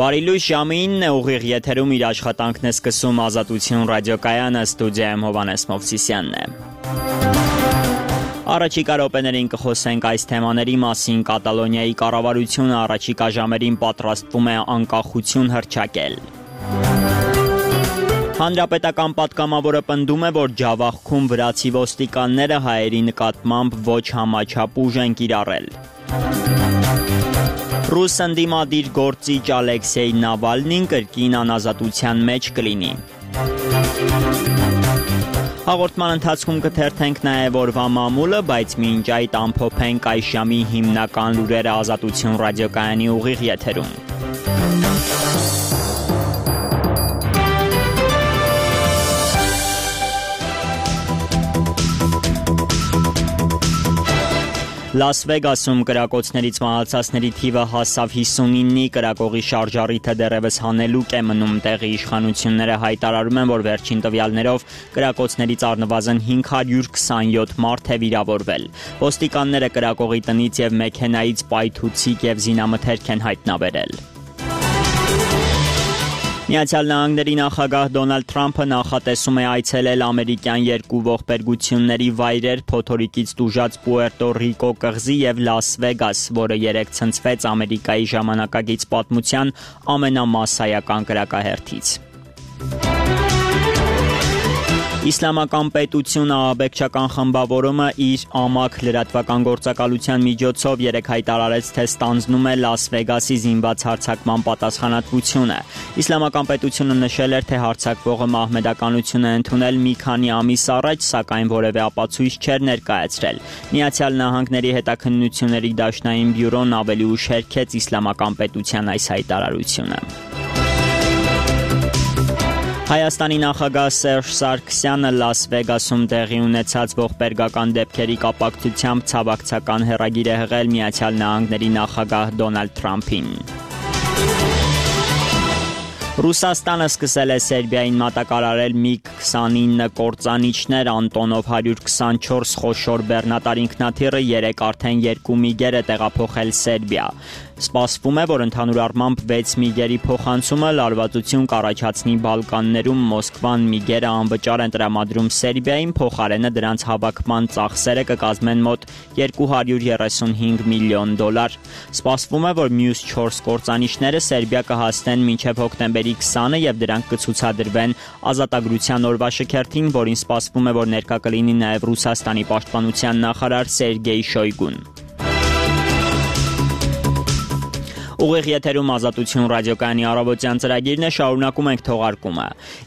Բարի լույս, ժամը 9 է, ուղիղ եթերում իր աշխատանքն է սկսում Ազատություն ռադիոկայանը, ստուդիայում Հովհաննես Մովսիսյանն է։ Առաջիկա րոպեներին կխոսենք այս թեմաների մասին։ Կատալոնիայի կառավարությունը առաջիկա ժամերին պատրաստվում է անկախություն հռչակել։ Հանրապետական պատգամավորը պնդում է, որ Ջավախքում վրացի ոստիկանները հայերի նկատմամբ ոչ համաչափ ուժ են կիրառել։ Ռուս ընդդիմադիր գործիչ Ալեքսեյ Նավալնին կրկին անազատության մեջ կլինի։ Հաղորդման ընթացքում կթերթենք նաև օրվա մամուլը, բայց մինչ այդ ամփոփենք այս ժամի հիմնական լուրերը Ազատություն ռադիոկայանի ուղիղ եթերում։ Լաս Վեգասում կրակոցներից մահացածների թիվը հասավ 59-ի, կրակողի շարժառիթը դեռևս հանելուկ է մնում։ Տեղի իշխանությունները հայտարարում են, որ վերջին տվյալներով կրակոցներից առնվազն 527 մարդ է վիրավորվել։ Ոստիկանները կրակողի տնից և մեքենայից պայթուցիկ և զինամթերք են հայտնաբերել։ Միացյալ Նահանգների նախագահ Դոնալդ Թրամփը նախատեսում է այցելել ամերիկյան երկու ողբերգությունների վայրեր՝ Փոթորիկից տուժած Պուերտո Ռիկո կղզի և Լաս Վեգաս, որը երեկ ցնցվեց Ամերիկայի ժամանակակից պատմության ամենամասսայական կրակահերթից։ Իսլամական պետություն ահաբեկչական խմբավորումը իր ամաք լրատվական գործակալության միջոցով երեկ հայտարարեց, թե ստանձնում է Լաս Վեգասի զինված հարձակման պատասխանատվությունը։ Իսլամական պետությունը նշել էր, թե հարձակվողը մահմեդականություն է ընդունել մի քանի ամիս առաջ, սակայն որևէ ապացույց չէր ներկայացրել։ Միացյալ Նահանգների հետաքննությունների դաշնային բյուրոն ավելի ուշ հերքեց Իսլամական պետության այս հայտարարությունը։ Հայաստանի նախագահ Սերժ Սարգսյանը Լաս Վեգասում տեղի ունեցած ողբերգական դեպքերի կապակցությամբ ցավակցական հեռագիր է հղել Միացյալ Նահանգների նախագահ Դոնալդ Թրամփին։ Ռուսաստանը սկսել է Սերբիային մատակարարել MiG-29 կործանիչներ, Անտոնով 124 խոշոր բեռնատար ինքնաթիռը երեկ արդեն 2 MiG-եր է տեղափոխել Սերբիա։ Սպասվում է, որ ընդհանուր առմամբ 6 MiG-երի փոխանցումը լարվածություն կառաջացնի Բալկաններում։ Մոսկվան MiG-երը անվճար են տրամադրում Սերբիային, փոխարենը դրանց հավաքման ծախսերը կկազմեն մոտ $235 միլիոն։ Սպասվում է, որ մյուս 4 կործանիչները Սերբիա կհասնեն մինչև հոկտեմբերի 20-ը և դրանք կցուցադրվեն Ազատագրության օրվա շքերթին, որին սպասվում է, որ ներկա կլինի նաև Ռուսաստանի պաշտպանության նախարար Սերգեյ Շոյգուն։ Ուղիղ եթերում Ազատություն ռադիոկայանի առավոտյան ծրագիրն է, շարունակում ենք թողարկումը։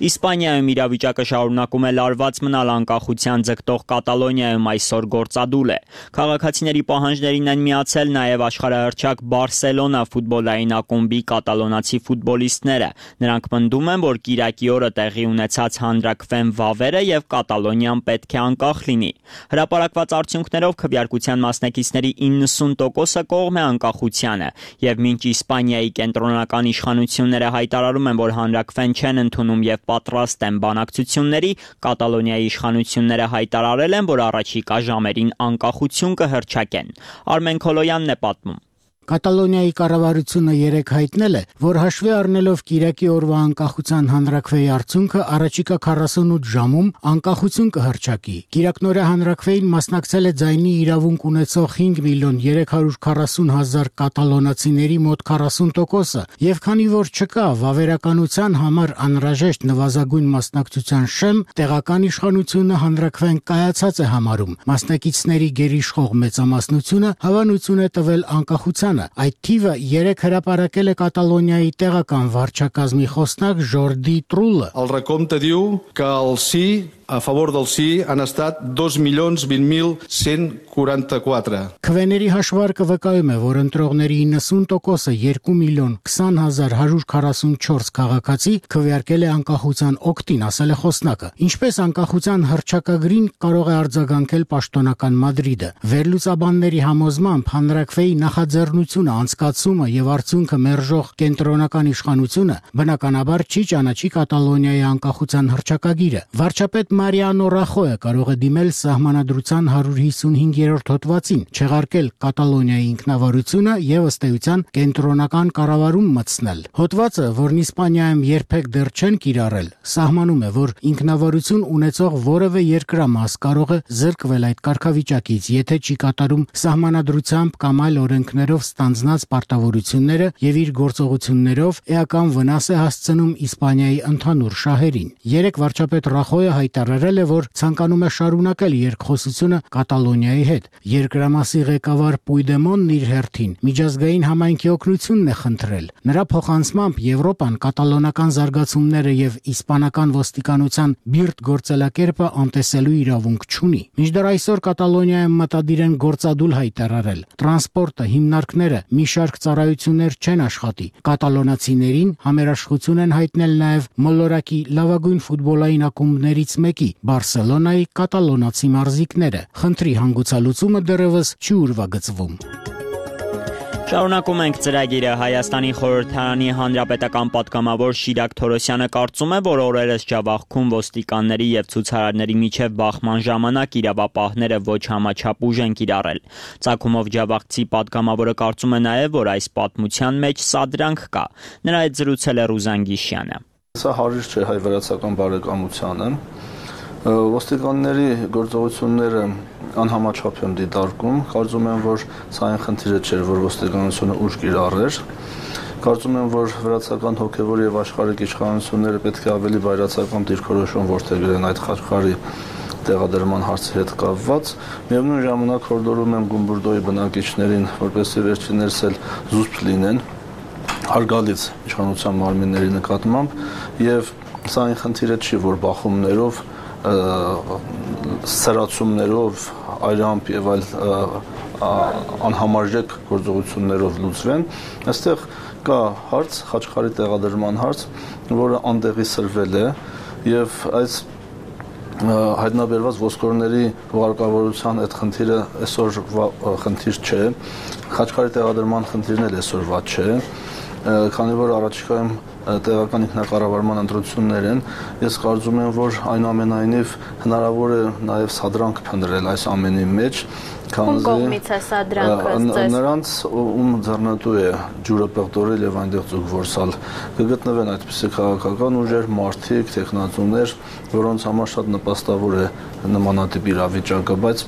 Իսպանիայում իրավիճակը շարունակում է լարված մնալ, անկախության ձգտող Կատալոնիայում այսօր գործադուլ է։ Քաղաքացիների պահանջներին են միացել նաև աշխարհահռչակ Բարսելոնա ֆուտբոլային ակումբի կատալոնացի ֆուտբոլիստները։ Նրանք պնդում են, որ կիրակի օրը տեղի ունեցած հանրաքվեն վավերը և Կատալոնիան պետք է անկախ լինի։ Հրապարակված արդյունքներով քվեարկության մասնակիցների 90%-ը կողմ է անկախությանը, և մինչ Իսպանիայի կենտրոնական իշխանությունները հայտարարում են, որ հանրաքվեն չեն ընդունում և պատրաստ են բանակցությունների, Կատալոնիայի իշխանությունները հայտարարել են, որ առաջիկա ժամերին անկախություն կհռչակեն։ Արմեն Քոլոյանն է պատմում։ Կատալոնիայի կառավարությունը երեկ հայտնել է, որ հաշվի առնելով կիրակի օրվա անկախության հանրաքվեի արդյունքը առաջիկա 48 ժամում անկախություն կհռչակի։ Կիրակնօրյա հանրաքվեին մասնակցել է ձայնի իրավունք ունեցող 5.340.000 կատալոնացիների մոտ 40%-ը, եւ քանի որ չկա վավերականության համար անհրաժեշտ նվազագույն մասնակցության շեմ, տեղական իշխանությունը հանրաքվեն կայացած է համարում։ Մասնակիցների գերիշխող մեծամասնությունը հավանություն է տվել անկախության։ Այդ թիվը երեկ հրապարակել է Կատալոնիայի տեղական վարչակազմի խոսնակ Ժորդի Տրուլը։ El recompte diu que el sí, a favor del sí, han estat 2.020.144. Քվեների հաշվարկը վկայում է, որ ընտրողների 90%-ը 2.20144 քաղաքացի քվեարկել է անկախության օգտին, ասել է խոսնակը։ Ինչպես անկախության հռչակագրին կարող է արձագանքել պաշտոնական Մադրիդը։ Վերլուծաբանների համոզմամբ հանրաքվեի նախաձեռնությունը գործունեությունը, անցկացումը եւ արդյունքը մերժող կենտրոնական իշխանությունը բնականաբար չի ճանաչի Կատալոնիայի անկախության հռչակագիրը։ Վարչապետ Մարիանո Ռախոյը կարող է դիմել Սահմանադրության 155-րդ հոդվածին, չեղարկել Կատալոնիայի ինքնավարությունը եւ ըստ էության կենտրոնական կառավարում մտցնել։ Հոդվածը, որն Իսպանիայում երբեք դեռ չեն կիրառել, սահմանում է, որ ինքնավարություն ունեցող որևէ երկրամաս կարող է զրկվել այդ կարգավիճակից, եթե չի կատարում սահմանադրությամբ կամ այլ օրենքներով ստանձնած պարտավորությունները եւ իր գործողություններով էական վնաս է հասցնում Իսպանիայի ընդհանուր շահերին։ Երեք վարչապետ Ռախոյը հայտարարել է, որ ցանկանում է շարունակել երկխոսությունը Կատալոնիայի հետ։ Երկրամասի ղեկավար Պույդեմոնն իր հերթին միջազգային համայնքի օգնությունն է խնդրել։ Նրա փոխանցմամբ Եվրոպան կատալոնական զարգացումները եւ իսպանական ոստիկանության բիրտ գործելակերպը անտեսելու իրավունք չունի։ Մինչդեռ այսօր Կատալոնիայում մտադիր են գործադուլ հայտարարել։ Տրանսպորտը, հիմնարկները, մի շարք ծառայություններ չեն աշխատի։ Կատալոնացիներին համերաշխություն են հայտնել նաեւ մոլորակի լավագույն ֆուտբոլային ակումբներից մեկի՝ Բարսելոնայի կատալոնացի մարզիկները։ Խնդրի հանգուցալուծումը դեռևս չի ուրվագծվում։ Շարունակում ենք ծրագիրը։ Հայաստանի խորհրդարանի հանրապետական պատգամավոր Շիրակ Թորոսյանը կարծում է, որ օրերս Ջավախքում ոստիկանների եւ ցուցարարների միջև բախման ժամանակ իրավապահները ոչ համաչափ ուժ են կիրառել։ Ծագումով Ջավախցի պատգամավորը կարծում է նաեւ, որ այս պատմության մեջ սադրանք կա։ Նրա հետ զրուցել է Ռուզան Գիշյանը։ Սա հարիր չէ հայ-վրացական բարեկամությանը։ Ոստիկանների գործողությունները անհամաչափ եմ դիտարկում, կարծում եմ, որ սա այն խնդիրը չէր, որ ոստիկանությունը ուժ կիրառեր։ Կարծում եմ, որ վրացական հոգևոր եւ աշխարհիկ իշխանությունները պետք է ավելի բայրացական դիրքորոշում որդեգրեն այդ խաչքարի տեղադրման հարցի հետ կապված։ Միևնույն ժամանակ հորդորում եմ Գումբուրդոյի բնակիչներին, որպեսզի վերջիններս էլ զուսպ լինեն հարգալից իշխանության մարմինների նկատմամբ եւ սա այն խնդիրը չի, որ բախումներով սրացումներով, այրամբ եւ այլ անհամարժեք գործողություններով լուծվեն, այստեղ կա հարց, խաչքարի տեղադրման հարց, որը անդեղի սրվել է եւ այս հայտնաբերված ոսկորների հուղարկավորության այդ խնդիրը այսօր խնդիր չէ, խաչքարի տեղադրման խնդիրն էլ այսօրվա չէ, քանի որ առաջիկայում տեղական ինքնակառավարման ընտրություններ են, ես կարծում եմ, որ այնուամենայնիվ հնարավոր է նաև սադրանք փնտրել այս ամենի մեջ, Ում կողմից է սադրանքը ձեզ։ Նրանց, ում ձեռնտու է ջուրը պեղտորել եւ այնտեղ ձուկ որսալ, կգտնվեն այդպիսի քաղաքական ուժեր, մարդիկ, տեխնատուներ, որոնց համար շատ նպաստավոր է նմանատիպ իրավիճակը, բայց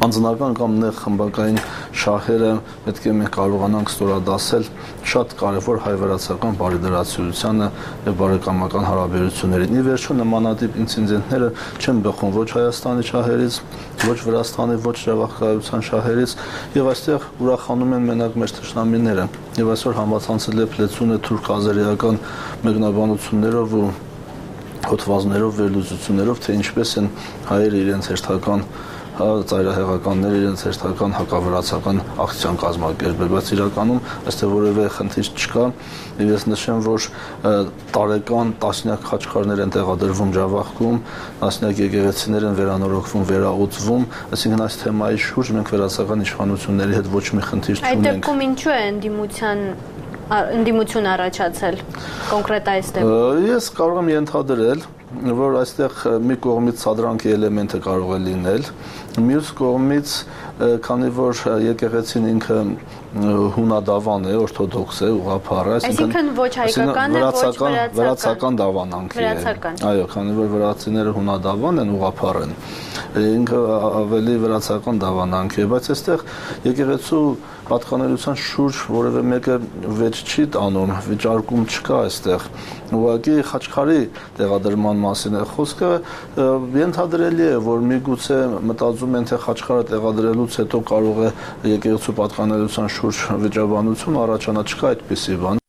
անձնական կամ նեղ խմբակային շահերը պետք է մենք կարողանանք ստորադասել շատ կարևոր հայ-վրացական բարեդրացիությանը եւ բարեկամական հարաբերություններին։ Ի վերջո նմանատիպ ինցիդենտները չեն բխում ոչ Հայաստանի շահերից, ոչ Վրաստանի, ոչ Ջավախքայության շահերից եւ այստեղ ուրախանում են մենակ մեր թշնամիները։ Եվ այսօր համացանցել է փլեցուն է թուրք-ազերիական մեկնաբանություններով ու հոդվածներով վերլուծություններով, թե ինչպես են հայերը իրենց հերթական ծայրահեղականները իրենց հերթական հակավրացական ակցիան կազմակերպել, բայց իրականում այստեղ որևէ խնդիր չկա։ Ես նշեմ, որ տարեկան տասնյակ խաչքարներ են տեղադրվում Ջավախքում, տասնյակ եկեղեցիներ են վերանորոգվում, վերաուծվում, այսինքն այս թեմայի շուրջ մենք վրացական իշխանությունների հետ ոչ մի խնդիր չունենք։ Այդ դեպքում ինչու է ընդդիմություն առաջացել կոնկրետ այս դեպքում։ Ես կարող եմ ենթադրել, որ այստեղ մի կողմից սադրանքի էլեմենտը կարող է լինել, մյուս կողմից, քանի որ եկեղեցին ինքը հունադավան է, օրթոդոքս է, ուղղափառ է, այսինքն ոչ հայկական է, ոչ վրացական դավանանքի է։ Այո, քանի որ վրացիները հունադավան են, ուղղափառ են, ինքը ավելի վրացական դավանանքի է, բայց այստեղ եկեղեցու պատկանելիության շուրջ որևէ մեկը վեճ չի տանում, վիճարկում չկա այստեղ։ Ուղղակի խաչքարի տեղադրման մասին է խոսքը, ենթադրելի է, որ միգուցե մտածում են, թե խաչքարը տեղադրելուց հետո կարող է եկեղեցու պատկանելիության շուրջ վիճաբանություն առաջանա, չկա այդպիսի բան։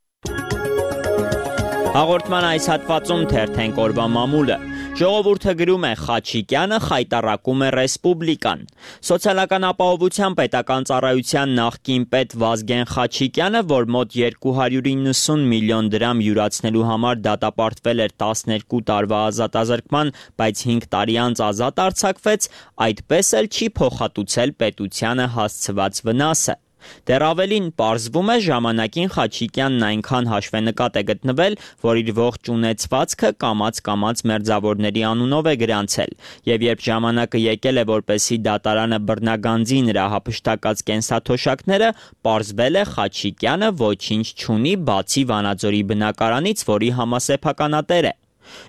Հաղորդման այս հատվածում թերթենք օրվա մամուլը։ Ժողովուրդը գրում է Խաչիկյանը խայտառակում է Ռեսպուբլիկան։ Սոցիալական ապահովության պետական ծառայության նախկին պետ Վազգեն Խաչիկյանը, որ մոտ 290 միլիոն դրամ յուրացնելու համար դատապարտվել էր 12 տարվա ազատազրկման, բայց 5 տարի անց ազատ արձակվեց, այդպես էլ չի փոխհատուցել պետությանը հասցված վնասը։ Դեռ ավելին պարզվում է ժամանակին Խաչիկյանն այնքան հաշվենկատ է գտնվել, որ իր ողջ ունեցվածքը կամաց-կամաց մերձավորների անունով է գրանցել, եւ երբ ժամանակը եկել է, որպեսզի դատարանը բռնագանձի նրա հափշտակած կենսաթոշակները, պարզվել է Խաչիկյանը ոչինչ չունի, բացի Վանաձորի բնակարանից, որի համասեփականատեր է։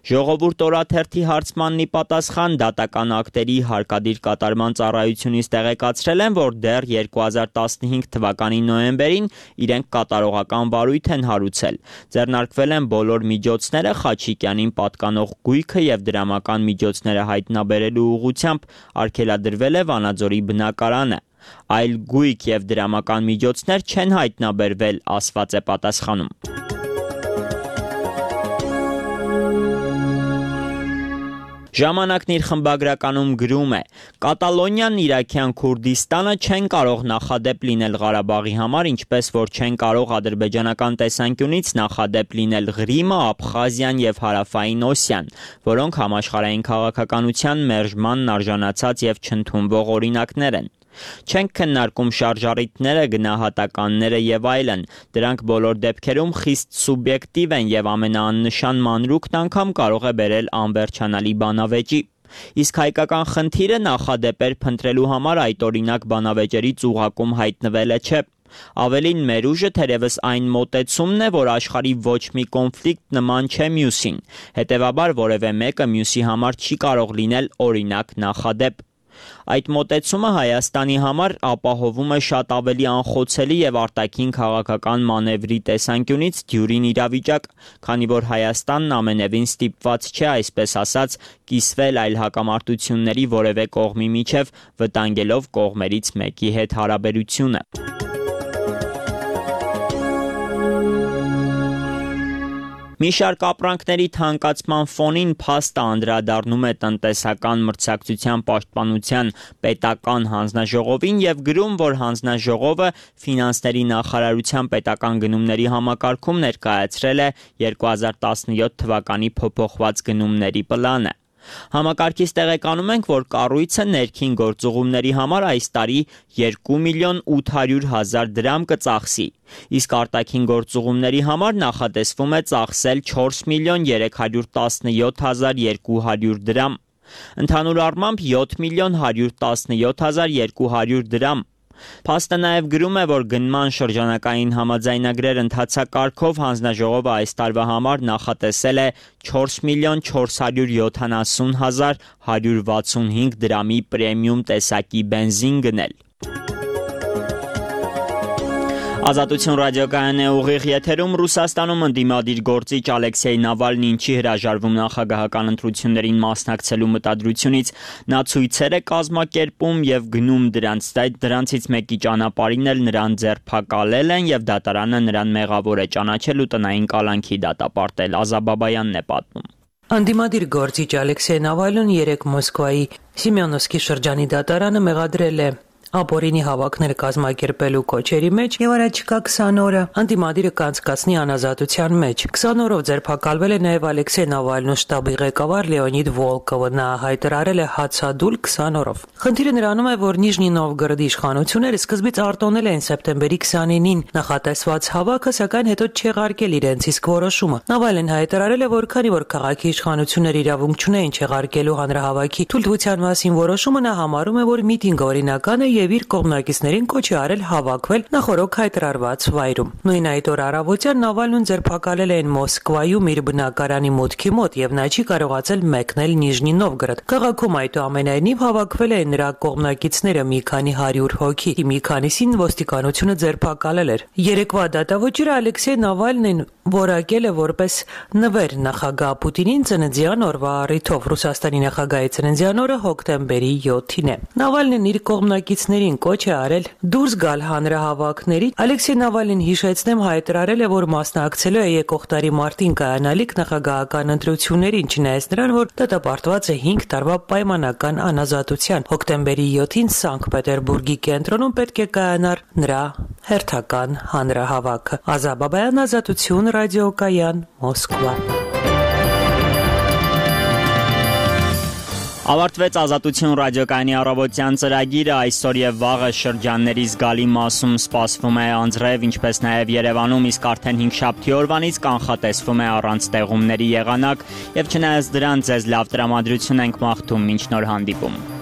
Ժողովուրդ օրաթերթի հարցմանն ի պատասխան դատական ակտերի հարկադիր կատարման ծառայությունից տեղեկացրել են, որ դեռ 2015 թվականի նոյեմբերին իրենք կատարողական վարույթ են հարուցել։ Ձեռնարկվել են բոլոր միջոցները Խաչիկյանին պատկանող գույքը եւ դրամական միջոցները հայտնաբերելու ուղղությամբ, արգելադրվել է Վանաձորի բնակարանը։ Այլ գույք եւ դրամական միջոցներ չեն հայտնաբերվել, ասված է պատասխանում։ Ժամանակն իր խմբագրականում գրում է. Կատալոնիան, Իրաքյան Քուրդիստանը չեն կարող նախադեպ լինել Ղարաբաղի համար, ինչպես որ չեն կարող ադրբեջանական տեսանկյունից նախադեպ լինել Ղրիմը, Աբխազիան եւ Հարավային Օսիան, որոնք համաշխարհային քաղաքականության մերժմանն արժանացած եւ չընդունվող օրինակներ են։ Չենք քննարկում շարժառիթները, գնահատականները եւ այլն, դրանք բոլոր դեպքերում խիստ սուբյեկտիվ են եւ ամենաաննշան մանրուքն անգամ կարող է բերել անվերջանալի բանավեճի։ Իսկ հայկական խնդիրը նախադեպեր փնտրելու համար այդ օրինակ բանավեճերից ուղղակում հայտնվել է չէ։ Ավելին մեր ուժը թերևս այն մոտեցումն է, որ աշխարհի ոչ մի կոնֆլիկտ նման չէ մյուսին, հետեւաբար որևէ մեկը մյուսի համար չի կարող լինել օրինակ նախադեպ։ Այդ մոտեցումը Հայաստանի համար ապահովում է շատ ավելի անխոցելի եւ արտաքին քաղաքական մանևրի տեսանկյունից դյուրին իրավիճակ, քանի որ Հայաստանն ամենևին ստիպված չէ, այսպես ասած, կիսվել այլ հակամարտությունների որևէ կողմի միջև, վտանգելով կողմերից մեկի հետ հարաբերությունը։ Մի շարք ապրանքների թանկացման ֆոնին փաստը անդրադառնում է տնտեսական մրցակցության պաշտպանության պետական հանձնաժողովին եւ գրում, որ հանձնաժողովը ֆինանսների նախարարության պետական գնումների համակարգում ներկայացրել է 2017 թվականի փոփոխված գնումների պլանը։ Համակարգից տեղեկանում ենք, որ կառույցը ներքին գործուղումների համար այս տարի 2.800.000 դրամ կծախսի, իսկ արտաքին գործուղումների համար նախատեսվում է ծախսել 4.117.200 դրամ, ընդհանուր առմամբ 7.117.200 դրամ։ Փաստը նաև գրում է, որ գնման շրջանակային համաձայնագրեր ընթացակարգով հանձնաժողովը այս տարվա համար նախատեսել է 4.470.165 դրամի պրեմիում տեսակի բենզին գնել։ Ազատություն ռադիոկայանն է ուղիղ եթերում։ Ռուսաստանում ընդդիմադիր գործիչ Ալեքսեյ Նավալնին չի հրաժարվում նախագահական ընտրություններին մասնակցելու մտադրությունից։ Նա ցույցեր է կազմակերպում եւ գնում դրանցից մեկի ճանապարհին էլ նրան ձերբակալել են եւ դատարանը նրան մեղավոր է ճանաչել ու տնային կալանքի դատապարտել։ Ազաբաբայանն է պատմում։ Ընդդիմադիր գործիչ Ալեքսեյ Նավալնին 3 Մոսկվայի Սիմեոնովսկի շրջանի դատարանը մեղադրել է ապօրինի հավաքներ կազմակերպելու կոչերի մեջ եւ առաջիկա 20 օրը ընդդիմադիրը կանցկացնի անազատության մեջ։ 20 օրով ձերբակալվել է նաեւ Ալեքսեյ Նավալնու շտաբի ղեկավար Լեոնիդ Վոլկովը, նա հայտարարել է հացադուլ 20 օրով։ Խնդիրը նրանում է, որ Նիժնի Նովգորոդի իշխանությունները սկզբից արտոնել են սեպտեմբերի 29-ին նախատեսված հավաքը, սակայն հետո չեղարկել իրենց իսկ որոշումը։ Նավալնին հայտարարել է, որ քանի որ քաղաքի իշխանությունները իրավունք չունեն չեղարկելու հանրահավաքի թույլտվության մասին որոշումը, նա համարում է, որ միտինգը օրինական է եւ իր կողմնակիցներին կոչ է արել հավաքվել նախորոք հայտարարված վայրում։ Նույն այդ օր առավոտյան Նավալնուն ձերբակալել էին Մոսկվայում իր բնակարանի մուտքի մոտ եւ նա չի կարողացել մեկնել Նիժնի Նովգորոդ։ Քաղաքում այդուամենայնիվ հավաքվել էին նրա կողմնակիցները մի քանի 100 հոգի, մի քանիսին ոստիկանությունը ձերբակալել էր։ Երեկվա դատավճիռը Ալեքսեյ Նավալնին որակել է որպես նվեր նախագահ Պուտինին ծննդյան օրվա առիթով։ Ռուսաստանի նախագահի ծննդյան օրը հոկտեմբերի 7-ին է։ Նավալնին իր կողմնակիցներին կոչ է արել դուրս գալ հանրահավաքների։ Ալեքսեյ Նավալնին, հիշեցնեմ, հայտարարել է, որ մասնակցելու է եկող տարի մարտին կայանալիք նախագահական ընտրություններին, չնայած նրան, որ դատապարտված է 5 տարվա պայմանական անազատության։ Հոկտեմբերի 7-ին Սանկտ Պետերբուրգի կենտրոնում պետք է կայանար նրա հերթական հանրահավաքը։ Ազաբաբայան, Ազատություն ռադիոկայան, Մոսկվա։ Ավարտվեց Ազատություն ռադիոկայանի առավոտյան ծրագիրը, այսօր եւ վաղը շրջանների զգալի մասում սպասվում է անձրև, ինչպես նաեւ Երևանում, իսկ արդեն 5 շաբթի օրվանից կանխատեսվում է առանց տեղումների եղանակ եւ չնայած դրան ձեզ լավ տրամադրություն ենք մաղթում մինչ նոր հանդիպում։